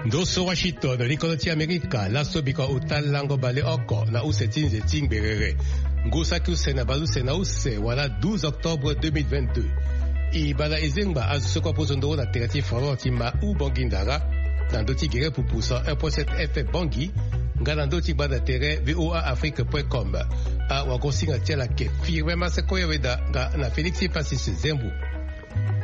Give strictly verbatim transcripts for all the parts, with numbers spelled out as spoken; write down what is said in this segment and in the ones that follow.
Ndo so Washington, likolo ti Amerika, laso biko ota lango baleoko na use ti nze ti ngberere. Ngu saki use na baleuse na use wala douze octobre deux mille vingt-deux. E banda e zengba azo so kue aposo ndoro na tere ti Fondon ti ma Ubangui Ndara, na ndö ti gere pupu cent un point sept F M Bangui, nga na ndö ti gbanda tere V O A Afrique point com. Awagosinga ti ala ayeke Firmin Maseko Yaweda nga na Félix Passis Zembu.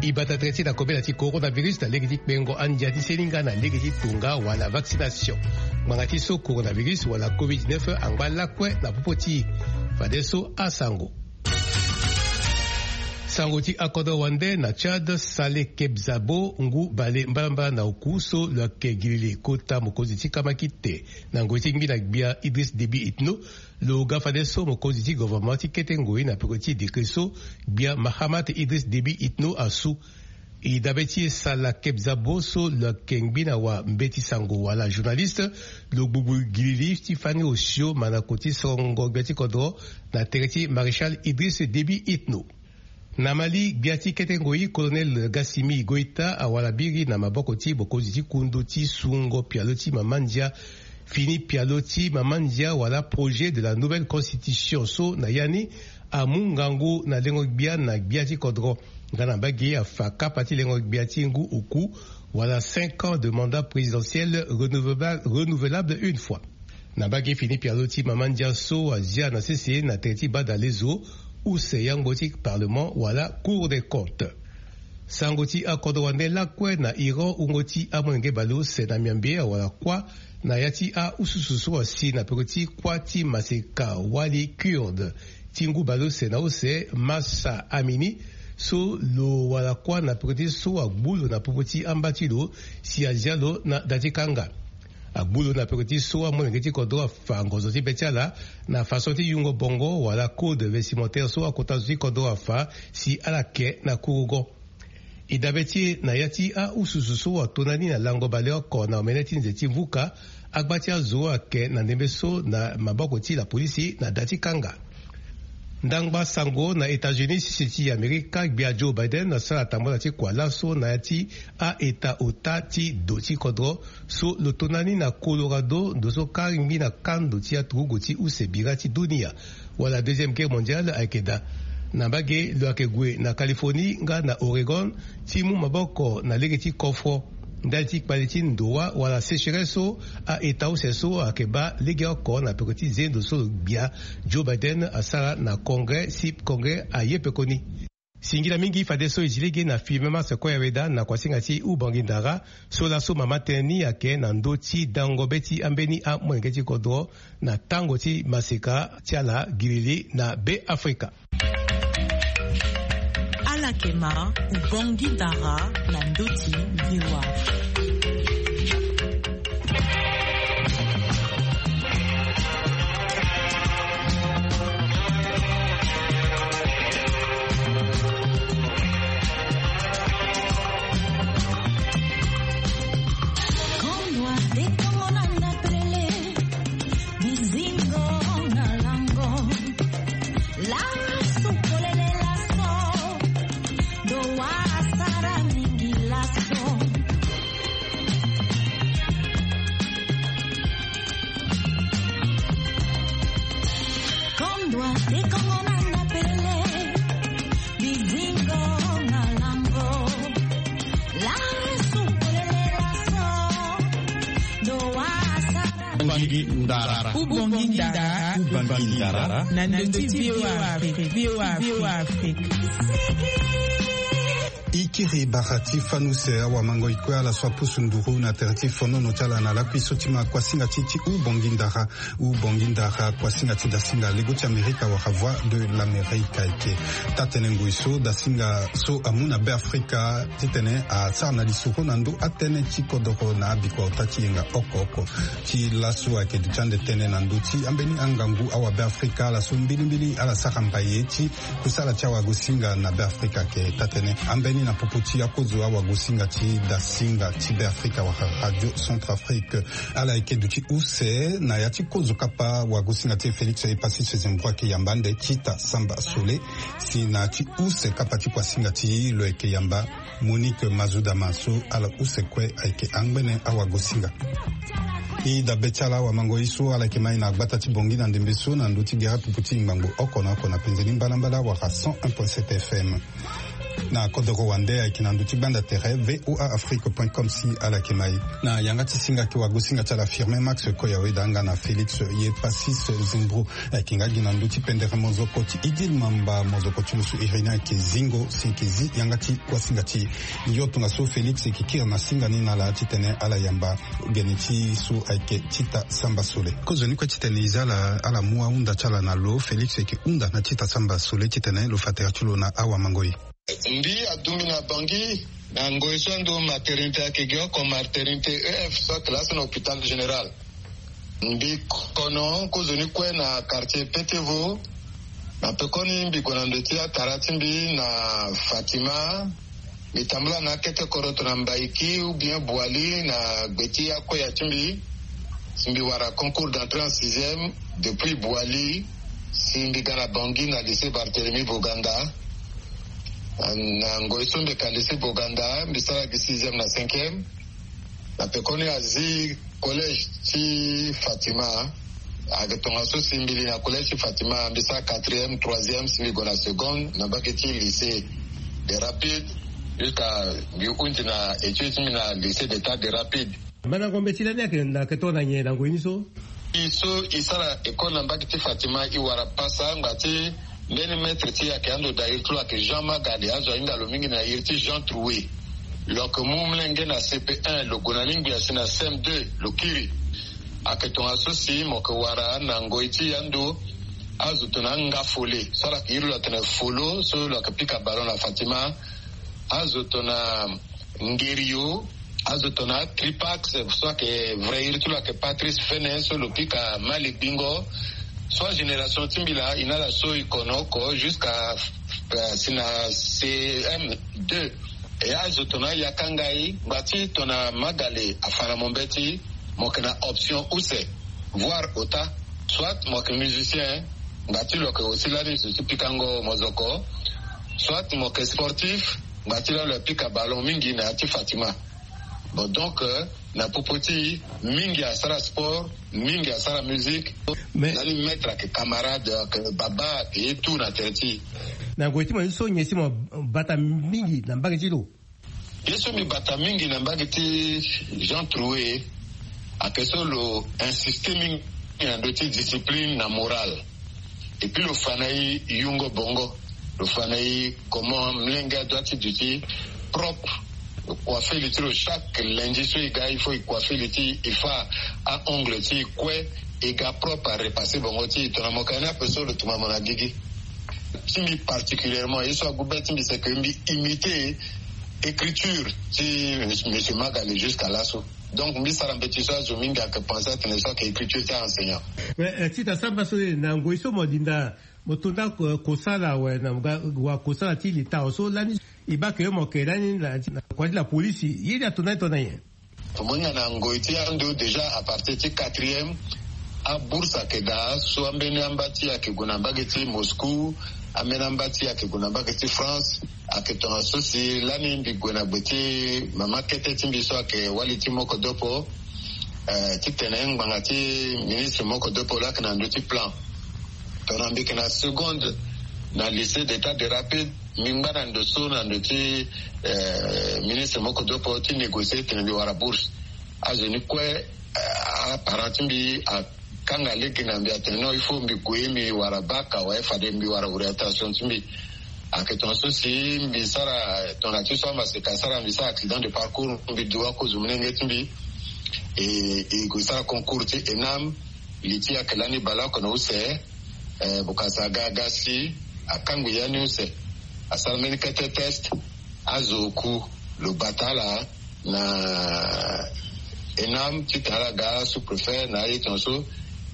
E bata tere ti na kobela ti coronavirus na lege ti kpengo andia ti seninga na lege ti tonga wala vaccination. Ngbanga ti so coronavirus wala covid dix-neuf angba lakue na popo ti e. Fadeso asango. Sango ti akodro wande na Tchad, Saleh Kebzabo, ngu bale mbalambala na oku so lo yeke gilili kota mokonzi ti kamakite na ngoi ti ngbi na gbia Idriss Déby Itno, lo ga fadeso mokonzi ti gouvernement ti kete ngoi na peko ti décret so gbia Mahamat Idriss Déby Itno asu. E dabe ti e Saleh Kebzabo so lo yeke ngbi na wa mbeti sango wala journaliste, lo gbugbu gilili ti fani osio mandako ti sorongo gbia ti kodro na tere ti Maréchal Idriss Déby Itno. Na Mali, gbia ti kete ngoi Colonel Gassimi Goïta awara biri na maboko ti mokonzi ti kundu ti sungo pialo ti mama ndia, fini pialo ti mama ndia wala projet de la nouvelle constitution so na ya ni amu ngangu na lengo gbia na gbia ti kodro. Nga na mbage afa kapa ti lengo gbia ti ngu oku wala cinq ans de mandat présidentiel renouvelable, renouvelable une fois. Na mbage fini pialo ti mama ndia so azia na sese na tere ti bada lezo, use yangbo ti parlement wala Cour des comptes. Sango ti akodro wande lakue na Iran, wungo ti amolenge baleuse na miambe awara kuâ na ya ti aususu so asi na peko ti kuâ ti maseka wali Kurde ti ngu baleuse na use Mahsa Amini, so lo wara kuâ na peko ti so agbu lo na popo ti amba ti lo si azia lo na da ti kanga. Agbu lo na peko ti so amolenge ti kodro afa ngonzo ti be ti ala na façon ti yungo bongo wala code vestimentaire so akota zo ti kodro afa si ala ke na kurugo. E dabe ti e na ya ti aususu so ato na ni na lango baleoko na omene ti nze ti vuka, agba ti azo ayeke na ndembe so na maboko ti lapolisi na da ti kanga. Ndangba sango na États-Unis, sese ti Amerika, gbia Joe Biden asara tambula ti kua laso na ya ti a-eta ota ti do ti kodro so lo to na ni na Colorado, ndo so kari ngbi na kando ti aturugu ti use bira ti dunia wala Deuxième Guerre mondiale ayeke daa. Na mbage lo yeke gue na Californie nga na Oregon ti mu maboko na lege ti kofro ndali ti kpale ti ndowa wala sécheresse so a-eta use so ayeke baa legeoko na peko ti zendo so lo gbia Joe Biden asara na Congrès si Congrès aye pekoni. Singila mingi fadeso e zi lege na Firmin Maseko Yaweda na kuasinga ti Ubangui Ndara so laso mama tënë ni ayeke na ndö ti dango be ti ambeni amolenge ti kodro na tango ti maseka ti ala gilili na Be Afrika. Ala yeke ma Ubangui Ndara na ndö ti V O A. Bizingo na lango. Lasu polele laso. Do wa asara mingi laso. Kondwa te kongo na ndapele. Bizingo na lango. Lasu polele laso. Do wa asara Ubangui Ndara. Ubangui Ndara. Ubangui Ndara. Na ndö ti V O A Afrique. V O A Afrique. E kiri bara ti fani use awamangoi kue ala so apusu nduru na tere ti fonono ti ala na lakui so ti ma kuasinga ti ti Ubangui Ndara. Ubangui Ndara, kuasinga ti dasinga lego ti Amerika wala Voix de l'Amérique ayeke. Taa-tënë ngoi so dasinga so amu na Be Afrika titene asara na lisoro na ndö atënë ti kodoro na abikua ota ti yenga oko oko. Ti laso ayeke duti ande tënë na ndö ti ambeni angangu awabe Afrika ala so mbilimbili ala sara mbaye ti kusala ti awagosinga na Be Afrika ayeke taa-tënë. Ambeni Na popo ti akozo awagosinga ti dasinga ti Be Afrika wala Radio Centrafrique, ala yeke duti use na ya ti kozo kapa wagosinga ti e Félix Epassis Zembro ayeke yamba ande Tita Samba Sole. Si na ya ti use kapa ti kuasinga ti e lo yeke yamba Monique Mazudama so ala use kue ayeke angbene awagosinga. E dabe ti ala awamango ye so ala yeke mai na gbata ti Bangui na ndembe so na ndö ti gere popo ti ngbangbo oko na oko na penze ni mbalambala wala cent un point sept F M. Na kodoro wande ayeke na ndö ti gbanda tere V O A Afrique point com si ala yeke mai. Na yanga ti singa ayeke wagosinga ti ala Firmin Max Koyawe danga na Félix Epassis Zembro. Ayeke nga gi na ndö ti pendere mozoko ti Idil Mamba, mozoko ti lo so iri ni ayeke zingo si e yeke zi yanga ti kuasinga ti e. Yo tongaso Félix e yeke kiri na singa ni na ala titene ala yamba gene ti e so ayeke Tita Samba Sole. Kozoni kue titene e za ala, ala mu ahunda ti ala na lo. Félix e yeke hunda na Tita Samba Sole titene lo fa tere ti lo na awamango e. Mbi adumbi na Bangui, na ngoi so ando maternité ayeke gi oko, maternité E F so ayeke laso na hôpital général. Mbi kono kozoni kue na quartier Petevo. Na pekoni mbi gue na ndo ti atara ti mbi na Fatima. Mbi tambula na akete koroto na Mbaiki ou bien Boali na gbe ti akoya ti mbi. Si mbi wara concours d'entrée en sixième depuis Boali, si mbi ga na Bangui na lycée Barthélemy Boganda. Na ngoi so mbi yeke na lycée Boganda, mbi sara gi sixième na cinquième. Na pekoni azi collège ti Fatima. Ayeke tongaso si mbi li na collège ti Fatima, mbi sara quatrième, troisième, si mbi gue na seconde na mbage ti lycée des Rapides, jusqu'à mbi hunzi na étude ti mbi na lycée d'état des Rapides. Mandango mbeti lani ayeke na, ayeke tongana nyen na ngoi ni so? E so e sara école na mbage ti Fatima, e wara pasa ngba ti mbeni maître ti e ayeke ando daa iri ti lo ayeke Jean Magale, azo ahinga lo mingi na iri ti Jean Troué. Lo yeke mu molenge na C P un, lo gue na ni ngbia si na C M deux lo kiri. Ayeke tongaso si mo yeke wara na ngoi ti e ando azo tongana Ngafole so ala yeke iri lo atene Folo so lo yeke pika ballon na Fatima. Azo tongana Ngerio, azo tongana Tripax so ayeke vrai iri ti lo ayeke Patrice Fene so lo pika Mali Bingo. So agénération ti mbi laa, e na ala so e kono oko jusqu'à, euh, si na C M deux. E azo tongana Yakangai, ngba ti tongana Magale afa na mo mbeti, mo yeke na option use, voire ota. Soit mo yeke musicien, ngba ti lo yeke aussi lani zo ti pikango mozoko. Soit mo yeke sportif, ngba ti lani lo yeke pika ballon mingi na ya ti Fatima. Bon, donc, euh, na popo ti e, mingi asara sport, mingi asara musique. Mais lani maître ayeke camarade, ayeke baba, ayeke ye tout na tere ti e. Na ngoi ti mo ye so nyen si mo bata mingi na mbage ti lo? Ye so mbi bata mingi na mbage ti Jean Troué, ayeke so lo insiste mingi na ndö ti discipline na morale. Et puis lo fa na e yungo bongo. Lo fa na e comment molenge adoit ti duti propre. Lo coiffer li ti lo chaque lundi so e ga, il faut e coiffer li ti e, e fa a-ongle ti e kue, e ga propre, a repasser bongo ti e. Tongana mo yeke na ni ape so lo tuma mo na gigi. Ti mbi particulièrement, ye so agu be ti mbi, c'est que mbi imiter écriture ti monsieur Magale jusqu'à laso. Donc mbi sara mbeti so azo mingi ayeke pense atene so ayeke écriture ti a-enseignant. Mais, euh, Tita Samba Sole, na ngoi so mo dinda, mo to nda, euh, kosala awe na ga wa kosala ti leta awe so lani e baa ke mo yeke lani na, na kua ti la polisi, ye ni ato na ni tongana nyen? Mo hinga na ngoi ti ando déjà à partir ti quatrième, abourse ayeke daa so ambeni amba ti e ayeke gue na mbage ti Moscou, ambeni amba ti e ayeke gue na mbage ti France. Ayeke tongaso si lani mbi gue na gbe ti mama kete ti mbi so ayeke wali ti Mokodopo, eh, titene ngbanga ti ministre Mokodopo laa ayeke na ndö ti plan. Tongana mbi yeke na seconde na lycée d'état des Rapides, mbi ngba na ndo so na ndö ti, eh, ministre Mokodopo ti négocier titene mbi wara bourse. Azo ni kue, eh, aparent ti mbi akanga lege na mbi atene non, il faut mbi gue mbi wara bac awe, fade mbi wara orientation ti mbi. Ayeke tongaso si mbi sara, tongana ti so amaseka asara, mbi sara accident de parcours, mbi du akozo molenge ti mbi. E, e gue sara concours ti ENAM. Li ti e ayeke lani baleoko na use, eh, Bokassa aga aga si akangbi ya ni use. Asara mbeni kete test, azo oku lo bata ala na ENAM titene ala ga sous-préfet na aye tongaso.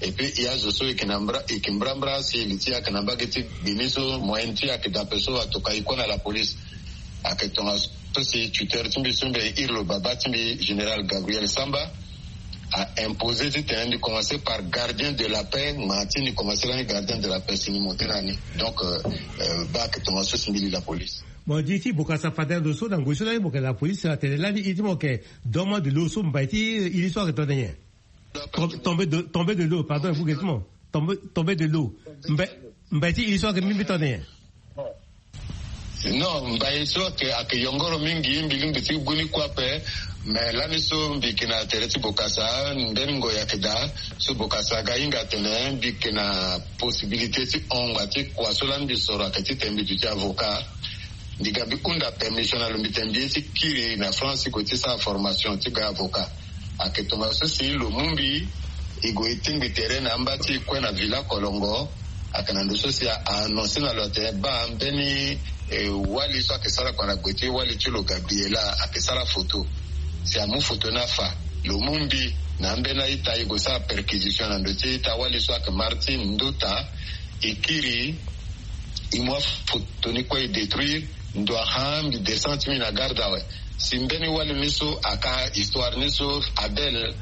Et puis e azo so e yeke na mbra, e yeke mbrambra si li ti e ayeke na mbage ti gbe ni so, moyenne ti e ayeke dape so atoka e kue na la police. Ayeke tongaso si tuteur ti mbi so mbi iri lo baba ti mbi, général Gabriel Samba, a imposer titene mbi commencer par gardien de la paix, ma ti mbi commencer lani gardien de la paix si mbi monter na ni. Donc baa ayeke tongaso si mbi li la police. Mo di ti bokasa fade na ndo so na ngoi so lani mo yeke la police atene lani iri ti mo yeke domo de l'eau so mbai ti iri so ayeke tene nyen? Tombe de l'eau, pardon, efu gesi mo tombe de l'eau. Mbai ti iri so ayeke mbi mbi tene nyen? Non, mbai so ayeke yongoro mingi, mbi lingbi ti gbu ni kue ape. Mais lani so mbi yeke na tere ti bokasa, mbeni ngoi ayeke daa so bokasa aga hinga atene mbi yeke na possibilité ti hon ngba ti kua so lani mbi soro ayeke titene mbi duti avocat. Mbi ga mbi hunda permission na lo, mbi tene mbi ye ti kiri na France ti gue ti sara formation ti ga avocat. Ayeke tongaso si lo mu mbi, e gue e tingbi tere na amba ti e kue na Villa Kolongo. Ayeke na ndo so si a annoncer na lo atene baa mbeni wali so ayeke sara kua na gue ti wali ti lo Gabriela ayeke sara photo. Si amu photo ni afa, lo mu mbi na ambeni a-ita, e gue sara perquisition na ndo ti ita wali so ayeke Martine Nduta. E kiri, e mu afoto ni kue e détruire. Ndo ahon mbi descend ti mbi na garde awe. Si mbeni wali ni so aka histoire ni so Abel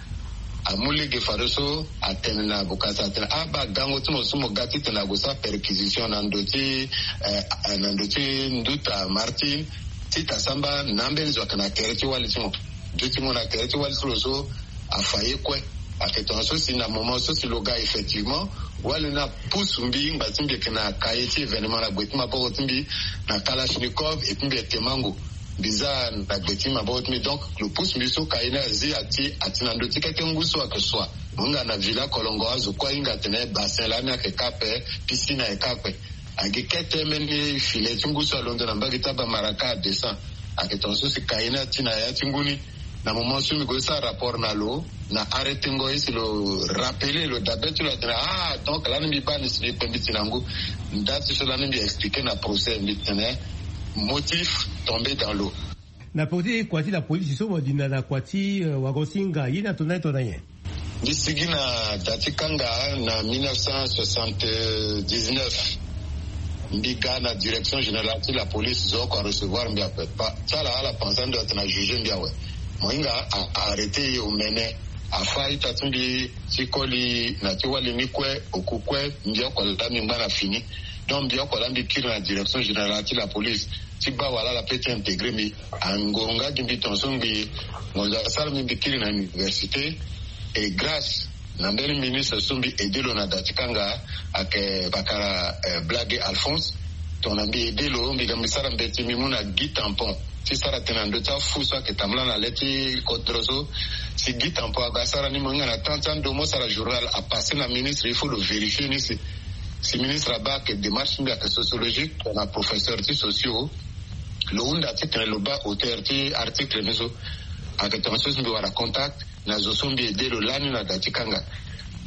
amu lege fadeso atene na bokasa atene ah baa gango ti mo so mo ga titene ague sara perquisition na ndo ti eh, na ndo ti Nduta Martine, ti ta samba na ambeni zo ayeke na kere ti wali ti mo. Ndu ti mo na kere ti wali ti lo so afa ye kue. Ayeke tongaso si na moment so si lo ga effectivement, wali ni apusu mbi ngba ti mbi yeke na cahier ti événement na gbe ti maboko ti mbi, na kalachnikov, et puis mbi yeke mango. Mbi za na gbe ti maboko ti mbi, donc lo pusu mbi so cahier ni azi ati ati na ndo ti kete ngu so ayeke sua. Mo hinga na Villa Kolongo, azo kue ahinga atene bassin lani ayeke ka ape, piscine ayeke ka ape. Agi kete mbeni filet ti ngu so alondo na mbage ti abamaraka adescend. Ayeke tongaso si cahier ni ati na ya ti ngu ni. Na moment so mbi gue sara rapport na lo, na arrêté ngo ye si lo rappeler lo dabe ti lo atene ah donc lani mbi baa ni si mbi kpe mbi ti na ngu. Nda ti so lani mbi expliquer na procès mbi tene motif tombé dans l'eau. Na peko ti kua ti la police so mo dinda na kua ti wagon singa ye ni ato na ye to na nyen? Mbi sigi na da ti kanga na mille neuf cent soixante-dix-neuf. Mbi ga na direction générale ti la police, zo oko arecevoir mbi ape. Ti ala ala pensa ndo atene ajuger mbi awe. Mo hinga a arrêter ye omene. Afa ita ti mbi ti koli na ti wali ni kue, oku kue, mbi oko laa mbi ngba na fini. Donc mbi oko laa mbi kiri na direction générale ti la police ti baa wala ala pe ti intégrer mbi. Angoro nga gi mbi tongaso ngbi ngonzo asara mbi mbi kiri na université. Et grâce na mbeni ministre so mbi aider lo na da ti kanga, ayeke Bakara Blage Alphonse. Tongana mbi aider lo, mbi ga mbi sara mbeti mbi mu na Guy Tampon ti sara tënë na ndö ti afu so ayeke tambula na le ti kodro so. Si Guy Tampon aga asara ni, mo hinga na temps ti andomo sara journal apasser na ministre, il faut lo vérifier ni si si ministre abaa ayeke démarche ti mbi ayeke sociologique, tongana professeur ti socio. Lo hunda titene lo baa auteur ti article ni so. Ayeke tongaso si mbi wara contact na zo so mbi aider lo lani na da ti kanga.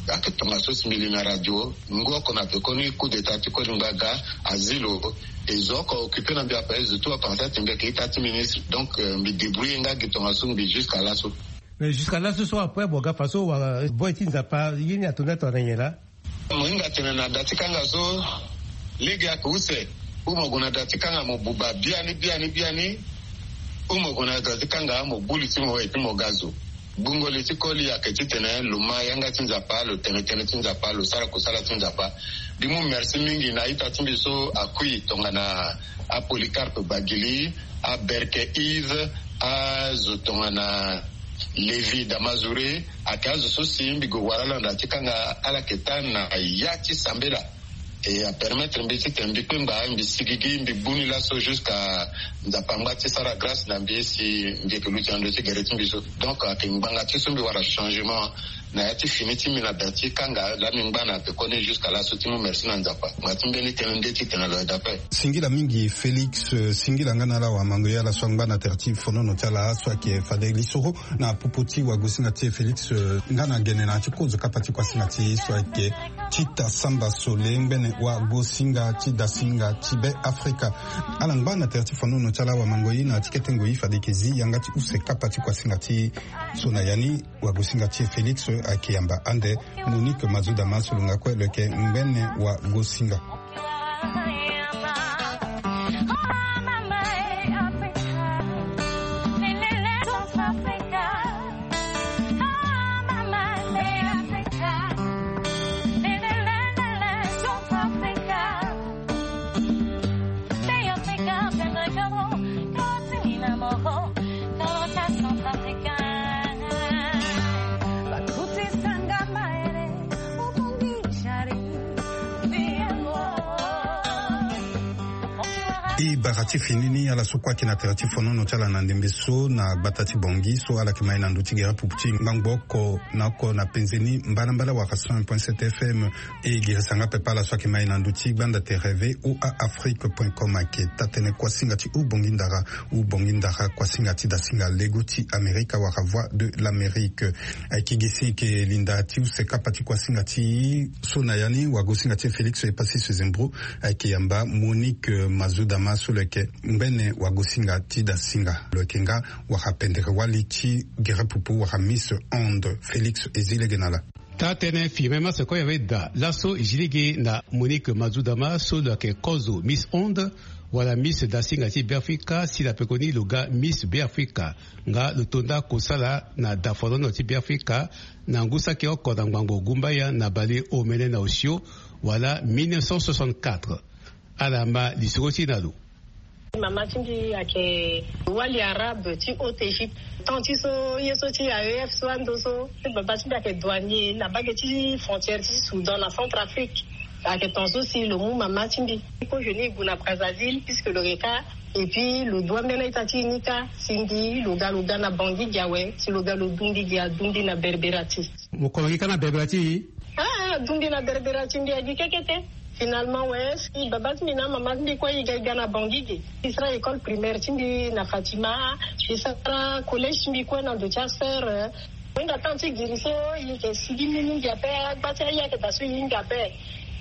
Ayeke tongaso si mbi li na radio ngu oko na pekoni coup d'état ti koli ngba aga azi lo. E zo oko occuper na mbi ape, zo tout apensa ti mbi ayeke ita ti ministre. Donc mbi débrouiller nga gi tongaso ngbi jusqu'à laso. Mais jusqu'à laso so après mo ga faso wala boy ti Nzapa ye ni ato na ye to na nyen laa? Mo hinga tene na da ti kanga so lege ayeke use. Ou mo gue na da ti kanga mo buba biani biani biani. Ou mo gue na da ti kanga mo gbu li ti mo et puis mo ga zo. Gbungo li ti koli ayeke titene lo ma yanga ti Nzapa, lo tene tënë ti Nzapa, lo sara kusala ti Nzapa. Mbi mu merci mingi na a-ita ti mbi so akui tongana aPolycarpe Bagili, aBerke Yves, azo tongana Lévi Damazure. Ayeke azo so si mbi gue wara ala na da ti kanga, ala yeke taa na ya ti sambela. E apermettre mbi titene mbi kpengba mbi sigigi mbi gbu ni laso jusqu'à Nzapa angba ti sara grâce na mbi si mbi yeke luti na ndö ti gere ti mbi so. Donc ayeke ngbanga ti so mbi wara changement na ya ti fini ti mbi na da ti kanga laa mbi ngba na pekoni jusqu'à laso ti mu merci na Nzapa. Ngbanga ti mbeni tënë nde titene lo aide ape. Singila mingi Félix, singila nga na ala wamango ye ala so angba na tere ti fonono ti ala so ayeke fade lisoro na popo ti wagosinga ti e Félix, eh, nga na gene na ya ti kozo kapa ti kuasinga ti e so ayeke Tita Samba Sole, ngbene wagosinga ti dasinga ti Be Afrika. Ala ngba na tere ti fonono ti ala wamango ye na ya ti kete ngoi fade e yeke zi yanga ti use kapa ti kuasinga ti e so na ya ni wagosinga ti e Félix ayeke yamba ande Monique Mazoudama so lo nga kue lo yeke ngbene wagosinga. E bara ti fini ni ala so kue ayeke na tere ti fonono ti ala na ndembe so na gbata ti Bangui so ala yeke ma ye na ndö ti gere pupu ti ngbangbo oko na oko na penze ni mbalambala wala cent un point sept F M. E girisa nga pepe ala so ayeke ma ye na ndö ti gbanda tere V O A Afrique point com ayeke taa-tënë kuasinga ti Ubongi Ndara. Ubongi Ndara, kuasinga ti dasinga lego ti Amerika wala Voix de l'Amérique. Ayeke gi si e yeke linda ti use kapa ti kuasinga ti so na ya ni wagosinga ti e Félix Epasis Zembro ayeke yamba Monique Mazudama so lo yeke ngbene wagosinga ti dasinga. Lo yeke nga wara pendere wali ti gere pupu wara Miss Onde. Félix e zi lege na ala. Taa-tënë firme masse kue e ave daa laso e zi lege na Monique Mazudama so lo yeke kozo Miss Onde wala Miss dasinga ti Beafrika si na pekoni lo ga Miss Beafrika. Nga lo to nda kosala na dafonono ti Beafrika na ngu saki oko na ngbangbo gumbaya na bale omene na osio wala mille neuf cent soixante-quatre. Ala ma lisoro ti e na lo. Mama ti mbi ayeke wali arabe ti Haute Égypte. Temps ti so ye so ti A E F so ando so, ti baba ti mbi ayeke douanier na mbage ti frontière ti Soudan na Centrafrique. Ayeke temps so si lo mu mama ti mbi. Ko je ni e gue na Brazzaville puisque lo yeke kâ. Et puis lo dua mbeni a-ita ti e ni kâ. Si mbi lo ga lo ga na Bangui gi awe, si lo ga lo du mbi gi adu mbi na Berbera ti. Mo kono gi kâ na Berbera ti e? Ah, ah, du mbi na Berbera ti mbi agi keke te. Finalement we, si baba ti mbi na mama ti mbi kue e ga e ga na Bangui ge. E sara école primaire ti mbi na Fatima. E sara collège ti mbi kue na ndo ti asœur. Mo hinga temps ti giri so e yeke sigi mingi ape, agba ti aye ayeke daa so e hinga ape.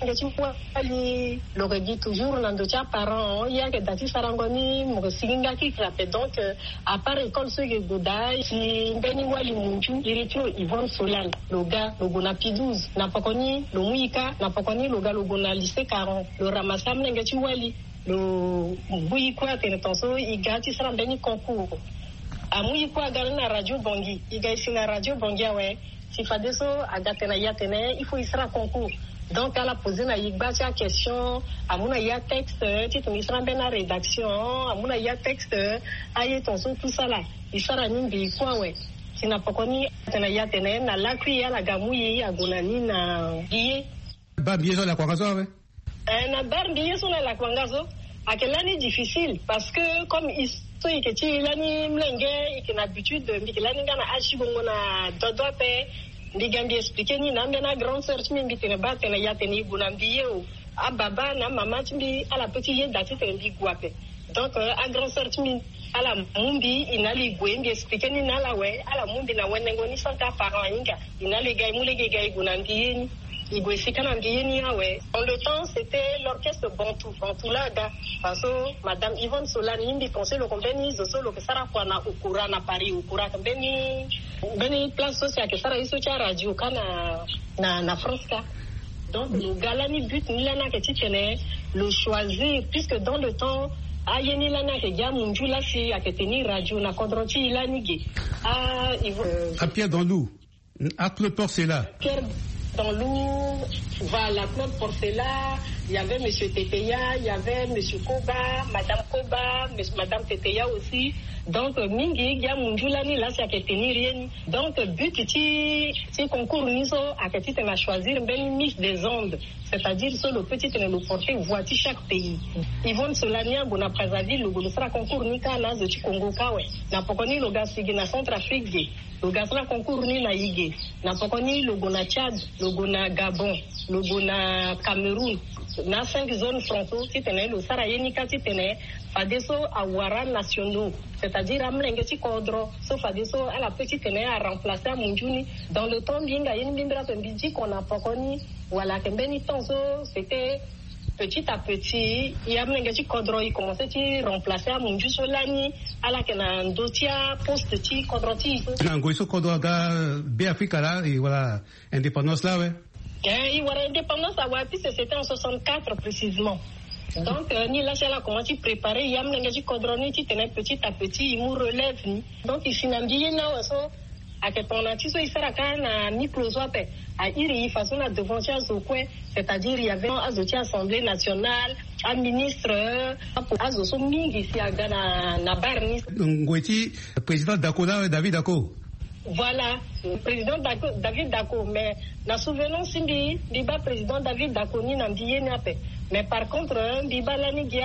Nge ti wali lo yeke gi toujours na ndo ti aparent, ye ayeke daa ti sarango ni mo yeke sigi nga kikiri ape. Donc, euh, à part école so e yeke gue daa, si mbeni wali munzu iri ti lo Yvonne Solane, lo ga lo gue na P douze, na poko ni lo mu e kâ, na poko ni lo ga lo gue na lycée Caron, lo ramasse amolenge ti wali, lo mu e kue atene ton so e ga ti sara mbeni concours. Amu e kue aga ni na radio Bangui, e ga e si na radio Bangui awe. Si fadeso aga tene na e atene il faut e sara concours. Donc ala poser na e gba ti aquestion, amu na e atexte titene e sara mbeni arédaction, amu na e atexte, aye ton so tout ça là e sara ni mbi kue awe. Si na poko ni atene na e atene na lakui ala ga mu e ague na ni na mbi ye. Ba mbi ye so ala kua nga so awe. Eh, na bar mbi ye so na lakua nga so ayeke lani difficile parce que comme e so e yeke ti e lani molenge, e yeke na habitude mbi yeke lani nga na âge ti bongo na dodo ape. Mbi ga mbi expliquer ni na ambeni agrande sœur ti mbi, mbi tene baa tene e atene e gue na mbi ye o. Ababa na amama ti mbi ala peut ti yeda titene mbi gue ape. Donc, euh, agrande sœur ti mbi ala mu mbi e na ala e gue, mbi expliquer ni na ala awe, ala mu mbi na wenengo ni sans que aparent ahinga. E na ala e ga e mu lege e ga e gue na mbi ye ni. E gue e si kâ na mbi ye ni awe. Dans le temps c'était l'orchestre Bantou, Bantou laa aga. Parce que madame Yvonne Solane ni mbi pense lo yeke mbeni zo so lo yeke sara kua na Okora na Paris. Okora ayeke mbeni, mbeni place so si ayeke sara ye so ti aradio kâ na, na, na France kâ. Donc lo ga lani but ni lani ayeke titene lo choisir, puisque dans le temps aye ni lani ayeke gi amunzu laa si ayeke teni radio na kodro ti e lani ge. Ah, Yvonne, euh, à Pierre Danlou. À Claude Porcela. Pierre Danlou, voilà, Claude Porcela, il y avait monsieur Teteya, il y avait monsieur Koba, madame Koba, monsieur, madame Teteya aussi. Donc, euh, mingi gi amunzu lani laa si ayeke tenir ye ni. Donc, euh, but ti, ti concours ni so ayeke titene a choisir mbeni Miss des Andes. C'est-à-dire so lo peut titene lo porter voix ti chaque pays. Yvonne Solane ague na Brazzaville, lo gue lo sara concours ni kâ na azo ti Congo kâ awe. Na poko ni lo ga sigi na Centrafrique ge. Lo ga sara concours ni na e ge. Na poko ni lo gue na Tchad, lo gue na Gabon, lo gue na Cameroun, na cinq zones franco, titene lo sara ye ni kâ titene fadeso awara nationaux, c'est-à-dire amolenge ti kodro so fadeso ala peut titene a remplacer amunzu ni. Dans le temps mbi hinga ye ni mbi mbira ape mbi diko na poko ni, wala ayeke mbeni temps so c'était petit à petit, e amolenge ti kodro e commencer ti remplacer amunzu so lani ala yeke na ndö ti aposte ti kodro ti e so. Na ngoi so kodro aga Beafrika laa e wara indépendance laa awe. Eh, e wara indépendance awe, puisque c'était en soixante-quatre précisément. Donc, euh, ni laa si ala commence ti préparer e amolenge ti kodro ni titene petit à petit e mu relève ni. Donc e si na mbi ye ni awe so, ayeke tongana ti so e sara kâ na micro so ape, a iri e fadeso na devant ti azo kue, c'est-à-dire il y avait azo ti Assemblée nationale, aministre, azo so mingi si aga na, na bar ni. Ngoi ti président Daco laa awe, David Daco. Voilà, président Daco, David Daco, mais na souvenance ti mbi, mbi baa président David Daco ni na mbi ye ni ape. Mais par contre, mbi baa lani gi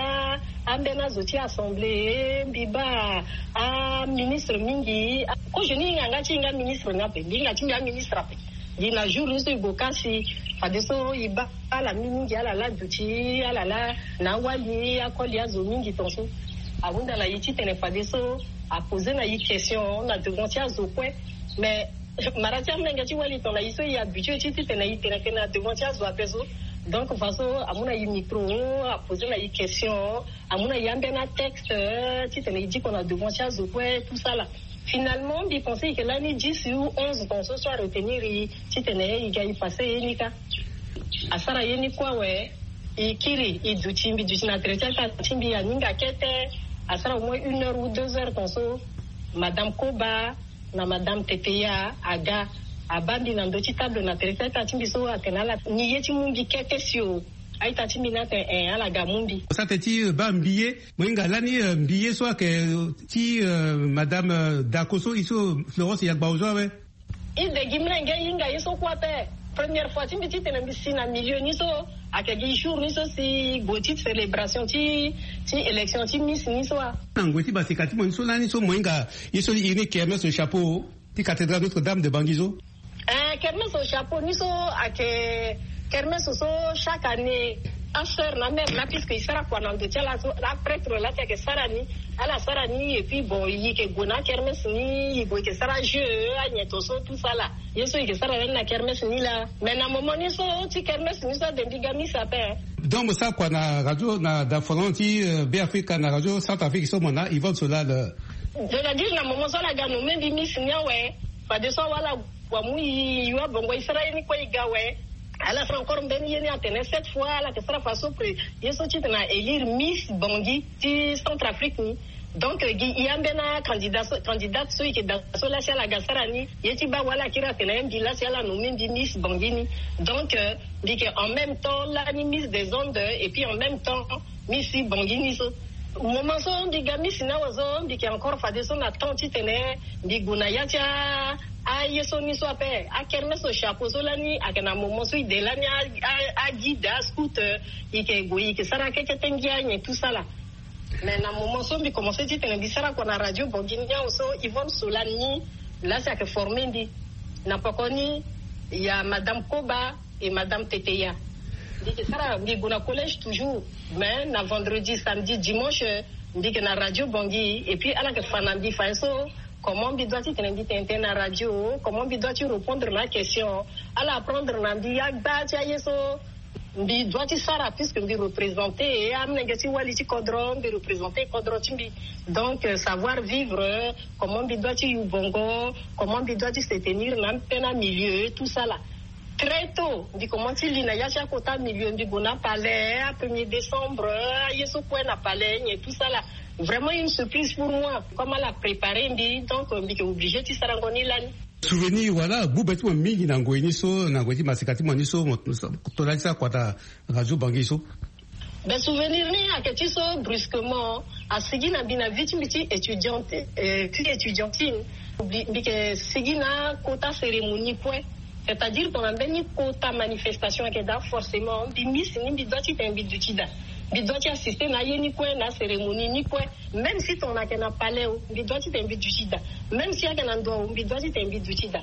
ambeni azo ti assemblée, mbi baa aministre mingi. Kozo ni hinga nga ti hinga ministre ni ape, mbi hinga ti mbi aministre ape. Gi na jour ni so e gue kasi, fadeso e baa ala mingi, ala laa duti, ala laa na awali akoli azo mingi tongaso. Ahunda na e titene fadeso aposer na e question na devant ti azo kue. Mais mara ti amolenge ti wali tongana e so e habitué ti titene e tene tënë na devant ti azo ape so. Donc fadeso amu na e micro, aposer na e question, amu na e ambeni atexte, titene e diko na devant ti azo kue, tout ça là. Finalement mbi pensé e yeke lani dix ou onze tongaso so aretenir e titene e ga e passé ye ni kâ. Asara ye ni kue awe. E kiri, e duti, mbi duti na tere ti ata ti mbi aninga kete. Asara au moins une heure ou deux heures tongaso, madame Koba na madame Teteya aga, abaa mbi na ndö ti table na tere ti ata ti mbi so, atene ala ni ye ti mu mbi kete sio. Aita ti mbi ni atene, eh, ala ga mu mbi. Sa tene ti, eh, baa mbi ye, mo hinga lani, eh, mbi ye so ayeke, eh, ti, eh, madame, eh, Dako so, e so Florence Yagba ozo awe. E de gi mlenge e hinga ye so kue ape. Première fois ti mbi titene mbi si na milieu ni so, ayeke gi jour ni so si e gue ti célébration ti, ti élection ti Miss ni so wa. Na ngoi ti basika ti mo ni so lani so mo hinga ye so e iri ni kermesse au chapeau ti cathédrale Notre-Dame de Bangui so. Eh, kermesse au chapeau ni so ayeke kermesse so chaque année asœur na mère na, puisque e sara kua na ndo ti ala so, aprêtre laa ti ayeke sara ni, ala sara ni, et puis bon, e yeke gue na akermesse ni, e gue e yeke sara jeu, anyen to so, tout ça là. Ye so e yeke sara lani na kermesse ni laa. Mais na moment ni so ti kermesse ni so ade mbi ga Miss ape, hein. Donc mo sara kua na radio, na dafolan ti, euh, Beafrika, na radio Centrafrique so, mo na Yvonne Solal. C'est-à-dire na moment so ala ga nommé mbi Miss ni awe, fadeso awe ala wa mu e, e wa bongo e sara ye ni kue e ga awe. Ala sara encore mbeni ye ni atene cette fois ala yeke sara fadeso pré-, ye so titene a élire Miss Bangui ti Centrafrique ni. Donc, euh, gi e ambeni acandidat so, candidate so e yeke daa so laa si ala ga sara ni, ye ti baa awe ala kiri atene mbi laa si ala nommé mbi Miss Bangui ni. Donc, euh, mbi yeke en même temps lani Miss des Andes, et puis en même temps Miss Bangui ni so. Moment so mbi ga Miss ni awe so, mbi yeke encore fadeso na temps titene mbi gue na ya ti a, aye so ni so ape. Akermesse au chapeau so lani ayeke na moment so e de lani a, a, aguide, ascout, euh, e yeke gue e yeke sara kekete ngia nyen tout ça là. Mais na moment so mbi commencé titene mbi sara kua na radio Bangui ni awe so, Yvonne Solal ni laa si ayeke formé mbi. Na poko ni, il y a madame Koba et madame Teteya. Mbi yeke sara, mbi gue na collège toujours. Mais na vendredi, samedi, dimanche, mbi yeke na radio Bangui. Et puis ala yeke fa na mbi fadeso comment mbi doit titene mbi tene tënë na radio, comment mbi doit ti répondre na aquestion. Ala apprendre na mbi agba ti aye so mbi doit ti sara, puisque mbi représenter amolenge ti wali ti kodro, mbi représenter kodro ti mbi. Donc, euh, savoir vivre, euh, comment mbi doit ti yu bongo, comment mbi doit ti se tenir na ambeni amilieu, tout ça là. Très tôt mbi commence ti li na ya ti akota milieu, mbi gue na palais a premier décembre, aye so kue na palais nyen, tout ça là. Vraiment une surprise pour moi. Comme ala préparer mbi, donc, euh, mbi yeke obligé ti sarango ni lani. Souvenir wala gbu be ti mo mingi na ngoi ni so, na ngoi ti maseka ti mo ni so, mo to laa ti sara kua na radio Bangui so? Ben, souvenir ni ayeke ti so, brusquement asigi na mbi na vie ti mbi ti étudiante, euh, ti étudiantine. Mbi, mbi yeke sigi na kota cérémonie kue. C'est-à-dire tongana mbeni kota manifestation ayeke daa, forcément mbi Miss ni mbi doit titene mbi duti daa. Mbi doit ti assister na aye ni kue, na acérémonie ni kue. Même si tongana ayeke na palais o, mbi doit titene mbi duti daa. Même si ayeke na ndo o, mbi doit titene mbi duti daa.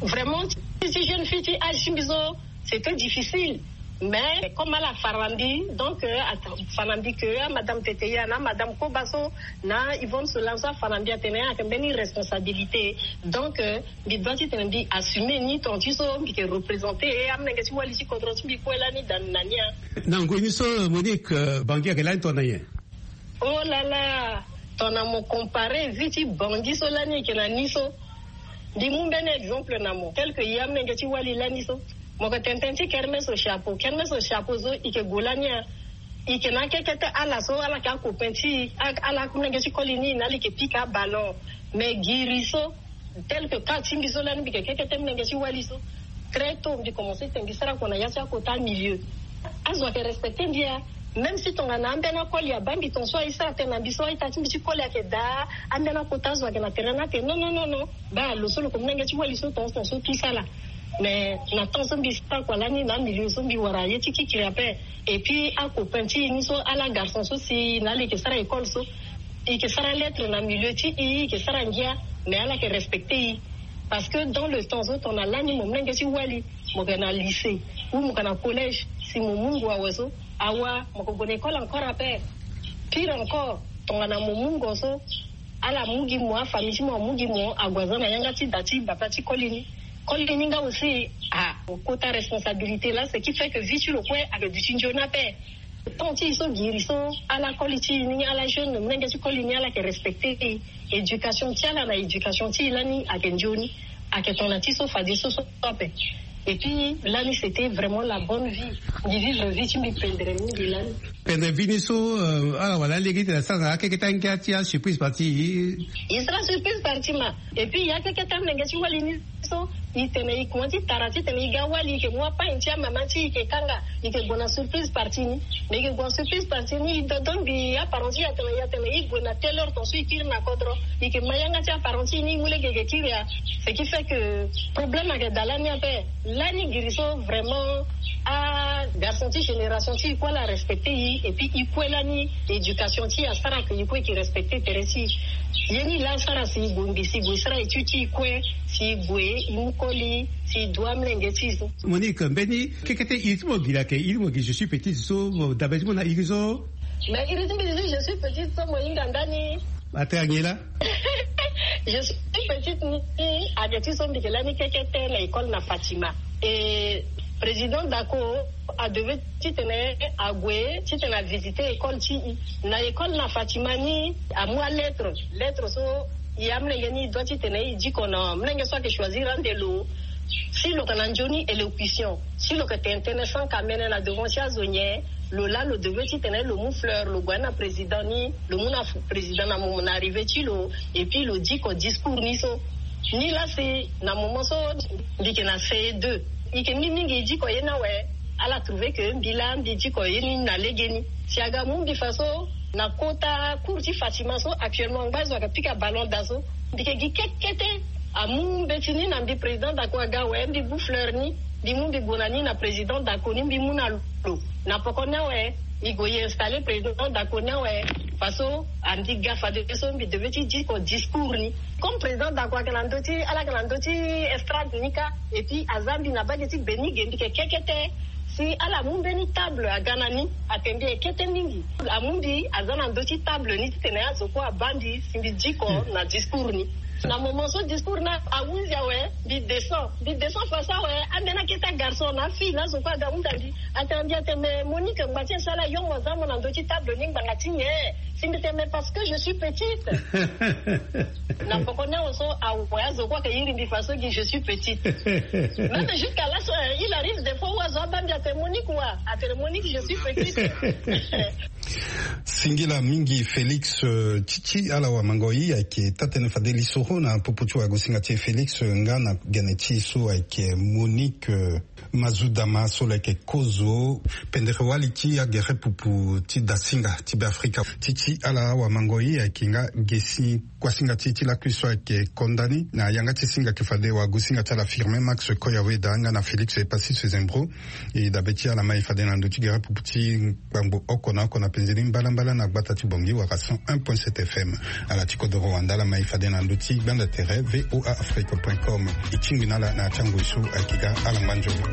Vraiment ti, ti jeune fille ti âge ti mbi so, c'était difficile. Mais comme ala fa na mbi, donc, euh, ata-, fa na mbi que, ah, madame Teteya na madame Koba so na Yvonne Solal so afa na mbi atene ayeke mbeni responsabilité. Donc, euh, mbi doit titene mbi assumer ni, ton ti so mbi yeke représenter amolenge ti wali ti kodro ti mbi kue lani da na ni a. Na ngoi ni so, Monique, euh, Bangui ayeke lani tongana nyen? Oh là là, tongana mo comparer vie ti Bangui so lani e yeke na ni so. Mbi mu mbeni exemple na mo, tel que e amolenge ti wali lani so. Mo yeke tene tënë ti kermesse au chapeau. Kermesse au chapeau so e yeke gue lani a. E yeke na akekete ala so ala yeke acopain ti e, a-, ala amolenge ti koli ni na ala e yeke pika aballon. Mais giri so, tel que cas ti mbi so lani mbi yeke kekete molenge ti wali so. Très tôt mbi commencé tene mbi sara kua na ya ti akota milieu. Azo ayeke respecter mbi a. Même si tongana ambeni akoli abaa mbi tongaso, aye so atene na mbi so, aita ti mbi ti koli ayeke daa, ambeni akota azo ayeke na tere ni atene non, non, non, non. Baa lo so lo yeke molenge ti wali so tongaso, tongaso, tout ça là. Mais na temps so mbi sara kua lani na amilieu so mbi wara ye ti kikiri ape. Et puis acopain ti e ni so ala garçon so si na ala eke sara école so, eke sara lettre na milieu ti e, eke sara ngia. Mais ala yeke respecter e. Parce que dans le temps so tongana lani mo mlenge ti wali, mo yeke na lycée ou mo yeke na collège, si mo mu ngu awe so, awa mo yeke gue na école encore ape. Pire encore, tongana mo mu ngo so, ala mu gi mo, afamille ti mo amu gi mo ague aza na yanga ti da ti bata ti koli ni. Koli ni nga aussi, ah, kota responsabilité là, ce qui fait que vie ti lo kue ayeke duti nzoni ape. Temps ti e so giri so, ala koli ti e ni, ala jeune, mlenge ti koli ni, ala yeke respecter e. Éducation ti ala na éducation ti e lani ayeke nzoni. Ayeke tongana ti so fadeso so ape. Et puis lani c'était vraiment la bonne vie. Mbi vivre vie ti mbi pendere mingi lani. Pendere vie ni so, euh, ala wara lege ti tene asara na akeke ti angia ti asurprise partie. E sara surprise partie ma. Et puis ya keke ti amlenge ti wali ni so, e tene e kuma ti tara ti tene e ga wali, e yeke mu apagne ti amama ti e, e yeke kanga, e yeke gue na surprise partie ni. Mais e yeke gue na surprise partie ni, e dodo mbi aparent ti e atene, e atene e gue na telle heure, ton so e kiri na kodro, e yeke ma yanga ti aparent ti e ni, e mu lege e yeke kiri ya. Ce qui fait que problème ayeke daa lani ape. Lani giri so vraiment, ah, garçon ti génération ti e kue ala respecter e. Et puis e kue lani éducation ti e asara que e kue e yeke respecter tere ti e. Ye ni laa asara si e gue mbi, si e gue e sara étude ti e kue, si e gue e mu koli, si e du amlenge ti e so. Monique, mbeni kekete iri ti mo giri ayeke iri mo giri je suis petite so, dabe ti mo na iri so? Mais iri ti mbi ti je suis petite so mo hinga ndani. Atene nyen laa? Je suis petite ni, ayeke ti so mbi yeke lani kekete na école na Fatima. Et président Dako adevait titene ague titene avisiter école ti e. Na école na Fatima ni amu alettre. Lettre so e amolenge ni e doit titene e diko na molenge so ayeke choisir ande lo. Si lo yeke na nzoni élocution, si lo yeke tene tënë sans kamene na devant ti azo nyen, lo laa lo devait titene lo mu fleur, lo gue na président ni, lo mu na président na mo na arrivé ti lo. Et puis lo diko discours ni so. Ni laa si na moment so mbi yeke na C E deux, e yeke mingi mingi e diko ye ni awe. Ala trouver que mbi laa mbi diko ye ni na legeni. Si aga mu mbi fa so na kota cours ti Fatima so, actuellement angba zo ayeke pika ballon daa so. Mbi yeke gi kekete. Amu mbeti ni na mbi, président Dako aga awe, mbi bu fleur ni, mbi mu mbi gue na ni na président Dako ni, mbi mu na lo. Na poko ni awe e gue e installer président Dako ni awe. Fa so andi ga fadeso mbi devait ti diko discours ni. Comme président Dako ayeke na ndö ti, ala yeke na ndö ti estrade ni kâ. Et puis aza mbi na bage ti gbe ni ge, mbi yeke kekete. Si ala mu mbeni table aga na ni, ayeke mbi ekete mingi. Amu mbi aza na ndö ti table ni titene azo kue abaa mbi si mbi diko na discours ni. Na moment so discours ni ahunzi awe, mbi descend. Mbi descend fa so awe, ambeni akete agarçon na afille na azo kue aga hunda mbi. Atene mbi atene mais Monique, ngbanga ti nyen si ala yongo aza mo na ndö ti table ni, ngbanga ti nyen? Si mbi tene mais parce que je suis petite. Na poko ni awe so awe azo kue ayeke iri mbi fa so gi je suis petite. Même jusqu'à là so, euh, il arrive des fois où azo abaa mbi atene Monique wa, atene Monique je suis petite. Singila mingi Félix, euh, ti ti ala wamango ye ayeke taa-tënë fade lisoro na popo ti wagosinga ti e Félix, euh, nga na gene ti e so ayeke Monique, euh, Mazudama so lo yeke kozo pendere wali ti agere pupu ti dasinga ti Beafrika. Ti ti ala wamango ye ayeke nga gesi kuasinga ti e ti lakui so ayeke konda ni na yanga ti singa ayeke fade wagosinga ti ala Firmin Max Koyaweda nga na Félix Epassis Zembro. E dabe ti ala ma e fade na ndö ti gere pupu ti gbangbo oko na oko na penze ni mbalambala na gbata ti Bangui wala cent un point sept F M. Ala ti kodoro wanda ala ma e fade na ndö ti gbanda tere V O A Afrique point com. E tingbi na ala na ya ti angoi so ayeke ga ala ngba nzoni.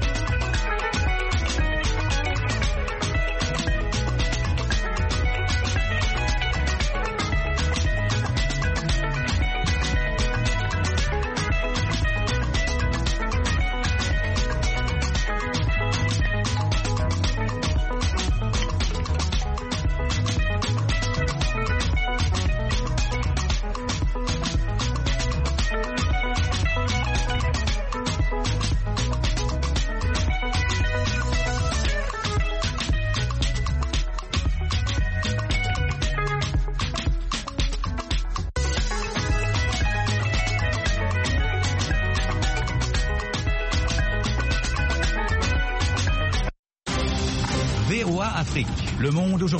V O A Afrique, le monde aujourd'hui.